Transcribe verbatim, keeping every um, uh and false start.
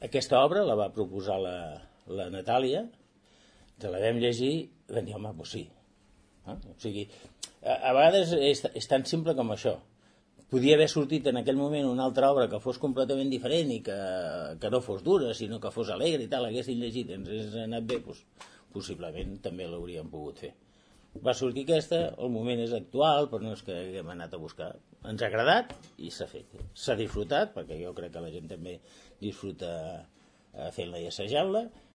aquesta obra la va proposar la, la Natàlia, ens la vam llegir i vam dir, home, doncs sí. Eh? O sigui, a, a vegades és, és tan simple com això. Podia haver sortit en aquell moment una altra obra que fos completament diferent i que, que no fos dura, sinó que fos alegre i tal, haguessin llegit i ens hagués anat bé, doncs, possiblement també l'hauríem pogut fer. Va sortir aquesta, el moment és actual, però no és que haguem anat a buscar. Ens ha agradat i s'ha fet. S'ha disfrutat, perquè jo crec que la gent també disfruta fent-la i assajant-la,